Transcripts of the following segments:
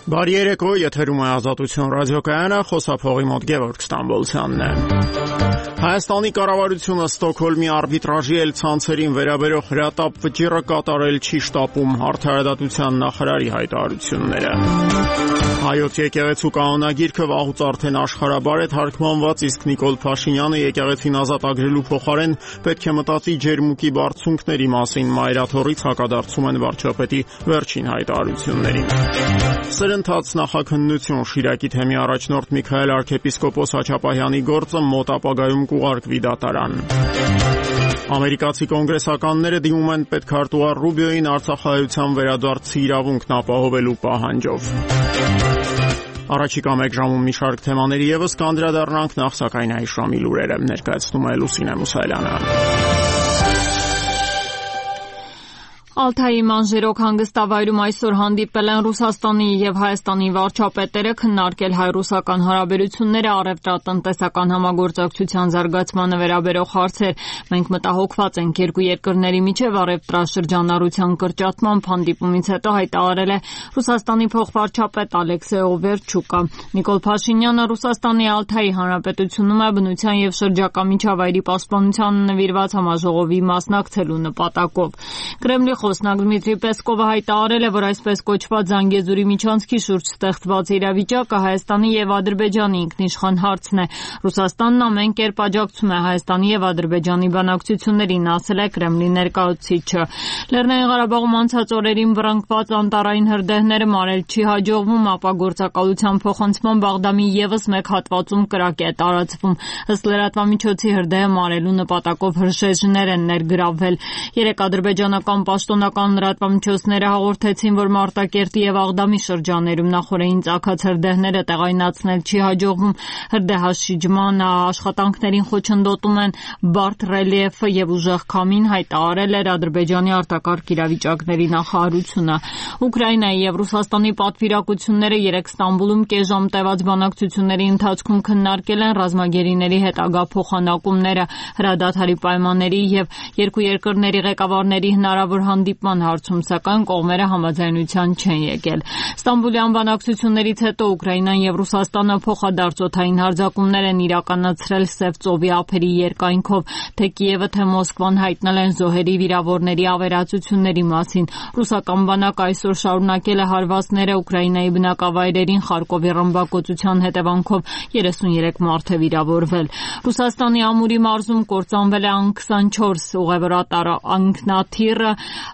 Բարի երեկո, եթերում է Ազատություն ռադիոկայանը, խոսափողի մոտ Գևորգ Ստամբոլցյանն է։ Հայաստանի կառավարությունը Ստոկհոլմի արբիտրաժի ցանցերին վերաբերող հրատապ վճիռը կատարել չի շտապում, Արդարադատության նախարարի հայտարարությունները։ Հայոց եկեղեցու կանոնագիրքը վաղուց արդեն աշխարհաբար է թարգմանված, իսկ Նիկոլ Փաշինյանը եկեղեցին ազատագրելու փոխարեն պետք է մտածի ջերմուկի բարձունքների մասին, մայրաթոռից հակադարձում են վարչապետի վերջին հայտարարություններին։ Սրընթաց նախաքննություն Շիրակի թեմի առաջնորդ Միքայել arczepiskopos Հաչապահյանի գործը մոտ ապագայում կուղարկվի դատարան։ Ամերիկացի կոնգրեսականները դիմում են պետքարտուղար Ռուբիոյին Արցախահայության վերադարձի իրավունքն ապահովելու պահանջով։ Առաջիկա մեկ ժամում մի շարք թեմաների ևս կանդրադառնանք, նախ սակայն այս ժամի լուրերը ներկայացնում է Լուսինե Մուսայելյանը։ Ալթայի մանժերոք հանգստավայրում այսօր հանդիպել են Ռուսաստանի եւ Հայաստանի վարչապետերը քննարկել հայ-ռուսական հարաբերությունները, առևտրատնտեսական համագործակցության զարգացմանը վերաբերող հարցեր։ Մենք մտահոգված ենք երկու երկրների միջև առևտրաշրջանառության կրճատման հանդիպումից հետո հայտարարել է Ռուսաստանի փոխվարչապետ Ալեքսեյ Օվերչուկը։ Նիկոլ Փաշինյանը Ռուսաստանի Ալթայի հանրապետությունում է բնության եւ շրջակա միջավայրի պաշտպանությանը նվիրված համաժողովի մասնակցելու նպատակով։ Կրեմլի խոսնակ Դմիտրի Պեսկովը հայտարարել է, որ այսպես կոչված Զանգեզուրի միջանցքի շուրջ ստեղծված իրավիճակը Հայաստանի եւ Ադրբեջանի ինքնիշխան հարցն է։ Ռուսաստանն ամեն կերպ աջակցում է Հայաստանի եւ Ադրբեջանի բանակցություններին, ասել է Կրեմլի ներկայացուցիչը։ Լեռնային Ղարաբաղում անցած օրերին վռնդված անտառային հրդեհները մարել չի հաջողվում, ապա գործակալության փոխանցման Բաղդամի եւս մեկ հատվածում կրակ է տարածվում։ Ըստ լրատվամիջոցի հրդեհը մարելու նպատակով հրշեջներ են ներգրավվել։ Երեք ադրբեջանական պաշտոնական լրատվամիջոցները հաղորդեցին, որ Մարտակերտի եւ Աղդամի շրջաններում նախորդին ծագած հրդեհները տեղայնացնել չի հաջողվում։ Հրդեհաշիջման աշխատանքներին խոչընդոտում են բարդ ռելիեֆը եւ ուժեղ քամին, հայտարարել էր Ադրբեջանի արտակարգ իրավիճակների նախարարությունը։ Ուկրաինայի եւ Ռուսաստանի պատվիրակությունները երեք Ստամբուլում կես ժամ տևած բանակցությունների ընթացքում քննարկել են ռազմագերիների հետագա փոխանակումները, հրադադարի պայմանների եւ երկու երկրների ղեկավարների հնարավոր հանդիպման հարցում, սակայն կողմերը համաձայնության չեն եկել։ Ստամբուլյան բանակցություններից հետո Ուկրաինան եւ Ռուսաստանը փոխադարձօդային հարձակումներ են իրականացրել Սև ծովի ափերի երկայնքով, թե Կիևը, թե Մոսկվան հայտնել են զոհերի վիրավորների ավերածությունների մասին։ Ռուսական բանակը այսօր շարունակել է հարվածները Ուկրաինայի բնակավայրերին, Խարկովի ռմբակոծության հետևանքով 33 մարդ է վիրավորվել։ Ռուսաստանի Ամուրի մարզում կործանվել է Ան-24 ուղևորատար անկնաթիռը,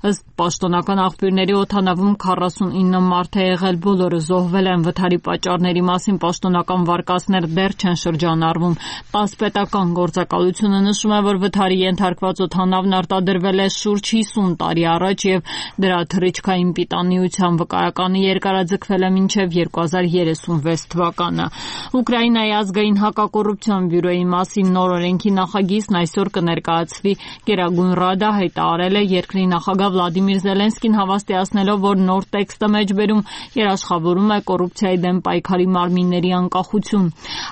ըստ պաշտոնական աղբյուրների օդանավում 49 մարդ է եղել, բոլորը զոհվել են։ Վթարի պատճառների մասին պաշտոնական վարկածներ դեռ չեն շրջանառվում։ ՏԱՍՍ պետական գործակալությունը նշում է, որ վթարի ենթարկված օդանավն արտադրվել է շուրջ 50 տարի առաջ եւ դրա թռիչքային պիտանիության վկայականը երկարաձգվել է մինչեւ 2036 թվականը։ Ուկրաինայի ազգային հակակոռուպցիոն բյուրոյի մասին նոր օրենքի նախագիծն այսօր կներկայացվի Գերագույն Ռադա, հայտարարել է երկրի նախագահ Վլադիմիր Զելենսկին, հավաստիացնելով, որ նոր տեքստը մեջբերում երաշխավորում է կոռուպցիայի դեմ պայքարի մարմինների անկախություն։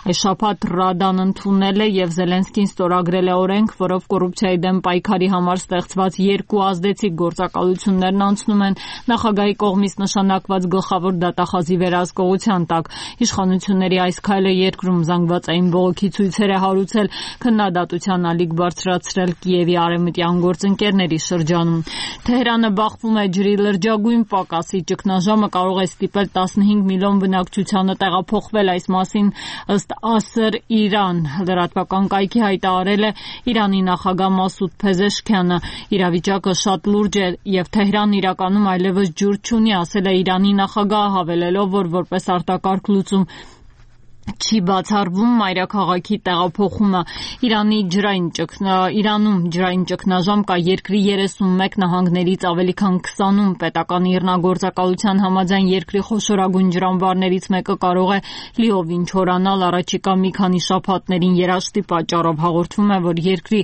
Այս շաբաթ Ռադան ընդունել է եւ Զելենսկին ստորագրել է օրենք, որով կոռուպցիայի դեմ պայքարի համար ստեղծված երկու ազդեցիկ գործակալություններն անցնում են նախագահի կողմից նշանակված գլխավոր դատախազի վերահսկողության տակ։ Իշխանությունների այս քայլը երկրում զանգվածային բողոքի ցույցեր է հարուցել, քննադատության ալիք բարձրացրել Կիևի արևմտյան գործընկերների շրջանում։ Թեհրանը բախվում է ջրի լրջագույն պակասի, ճգնաժամը կարող է ստիպել 15 միլիոն բնակչությանը տեղափոխվել, այս մասին ըստ Ասր Իրան լրատվական կայքի հայտարարել է Իրանի նախագահ Մասուդ Փեզեշքյանը։ Իրավիճակը շատ լուրջ է եւ Թեհրանն իրականում այլևս ջուր չունի, ասել է Իրանի նախագահը, հավելելով, որ որպես արտակարգ լուծում չի բացառվում մայրաքաղաքի տեղափոխումը։ Իրանում ջրային ճգնաժամ կա երկրի 31 նահանգներից ավելի քան 20-ում։ Պետական իռնագործակալության համաձայն երկրի խոշորագույն ջրամբարներից մեկը կարող է լիովին չորանալ առաջիկա մի քանի շաբաթներին երաշտի պատճառով։ Հաղորդվում է, որ երկրի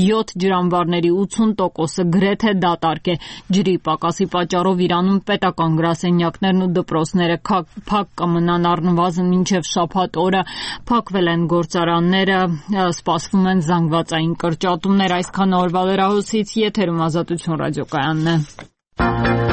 7 ջրամբարների 80%-ը գրեթե դատարկ է։ Ջրի պակասի պատճառով Իրանում պետական գրասենյակներն ու դպրոցները փակ կմնան առնվազն մինչև շաբաթ օրը, փակվել են գործարանները, սպասվում են զանգվածային կրճատումներ։ Այսքան օրվա լրահոսից, եթերում Ազատություն ռադիոկայանն է։